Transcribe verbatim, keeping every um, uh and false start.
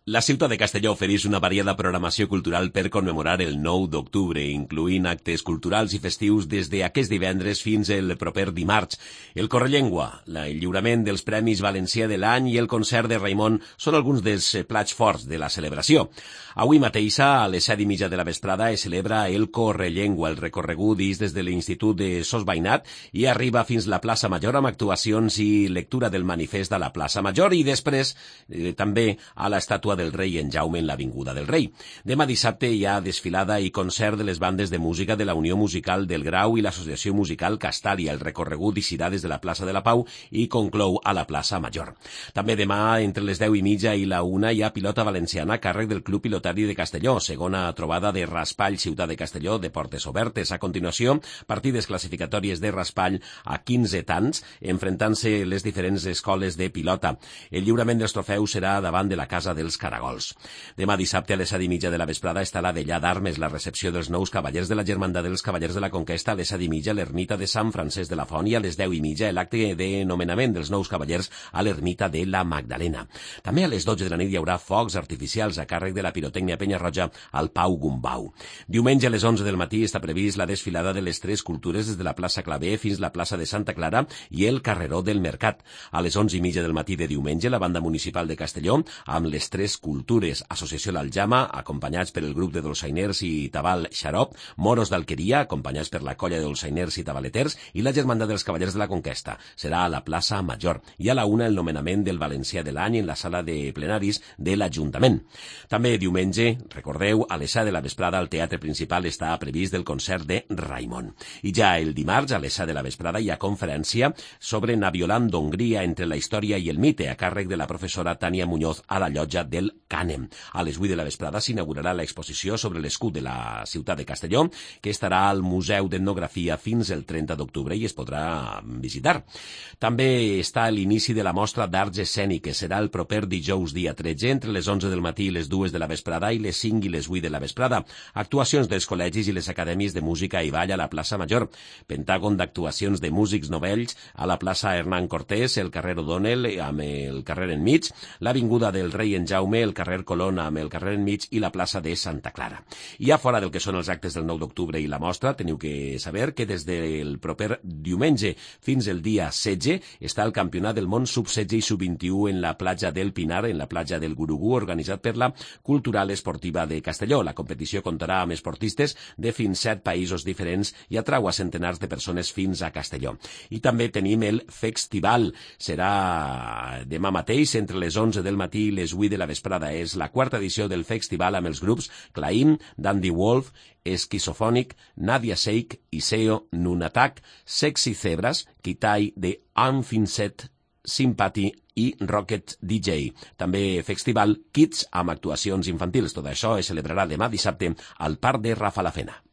La ciutat de Castelló ofereix una variada programació cultural per commemorar el nou d'octubre, incloent actes culturals i festius des d'aquest divendres fins el proper dimarts. El Correllengua, el lliurament dels Premis Valencià de l'any i el concert de Raimon són alguns dels plats forts de la celebració. Avui mateixa, a les set i mitja de la vesprada, es celebra el Correllengua. El recorregut és des de l'Institut de Sos Veïnat i arriba fins la plaça Major amb actuacions i lectura del manifest a la plaça Major i després eh, també a l'estàtua del rei en Jaume en l'Avinguda del Rei. Demà dissabte hi ha desfilada i concert de les bandes de música de la Unió Musical del Grau i l'Associació Musical Castàlia. El recorregut eixirà des de la plaça de la Pau i conclou a la plaça Major. També demà, entre les deu i mitja i la una, hi ha pilota valenciana a càrrec del Club Pilotari de Castelló, segona trobada de Raspall, Ciutat de Castelló, de portes obertes. A continuació, partides classificatòries de Raspall a quinze tants, enfrontant-se les diferents escoles de pilota. El lliurament dels trofeus serà davant de la Casa dels Caragols. Demà dissabte a les set i mitja de la vesprada està la vellà d'armes, la recepció dels nous cavallers de la Germandat dels Cavallers de la Conquesta. A les set i mitja l'ermita de Sant Francesc de la Font i a les deu i mitja l'acte de nomenament dels nous cavallers a l'ermita de la Magdalena. També a les dotze de la nit hi haurà focs artificials a càrrec de la pirotècnia Penya-roja al Pau Gumbau. Diumenge a les onze del matí està previst la desfilada de les tres cultures des de la plaça Clavé fins la plaça de Santa Clara i el carreró del Mercat. A les onze i mitja del matí de diumenge la banda municipal de Castelló amb les tres cultures, Associació l'Aljama, acompanyats per el grup de dolçainers i tabal Xarop, Moros d'Alqueria, acompanyats per la colla de dolçainers i tabaleters, i la Germandat dels Cavallers de la Conquesta. Serà a la plaça Major. I a la una el nomenament del Valencià de l'any en la sala de plenaris de l'Ajuntament. També diumenge, recordeu, a les set de la vesprada al Teatre Principal està previst el concert de Raimon. I ja el dimarts, a les set de la vesprada, hi ha conferència sobre Naviolant d'Hongria entre la història i el mite, a càrrec de la professora Tània Muñoz a la llotja del Cànem. A les vuit de la vesprada s'inaugurarà l'exposició sobre l'escut de la ciutat de Castelló, que estarà al Museu d'Etnografia fins el trenta d'octubre i es podrà visitar. També està l'inici de la mostra d'arts escèniques. Serà el proper dijous dia tretze, entre les onze del matí i les dues de la vesprada i les cinc i les vuit de la vesprada. Actuacions dels col·legis i les acadèmies de música i ball a la plaça Major. Pentàgon d'actuacions de músics novells a la plaça Hernán Cortés, el carrer O'Donnell amb el carrer enmig, l'avinguda del Rei en Jaume, el carrer Colón amb el carrer enmig i la plaça de Santa Clara. I ja fora del que són els actes del nou d'octubre i la mostra, teniu que saber que des del proper diumenge fins el dia setze està el Campionat del Món sub setze i sub vint-i-u en la platja del Pinar, en la platja del Gurugú, organitzat per la Cultural Esportiva de Castelló. La competició comptarà amb esportistes de fins set països diferents i atrau a centenars de persones fins a Castelló. I també tenim el Festival. Serà demà mateix entre les onze del matí i les vuit de la vesprada. És la quarta edició del festival amb els grups Claim, Dandy Wolf, Esquizofònic, Nadia Seik, Iseo, Nunatak, Sexy Zebras, Kitai de Unfinset, Sympathy i Rocket D J. També festival Kids amb actuacions infantils. Tot això es celebrarà demà dissabte al Parc de Rafalafena.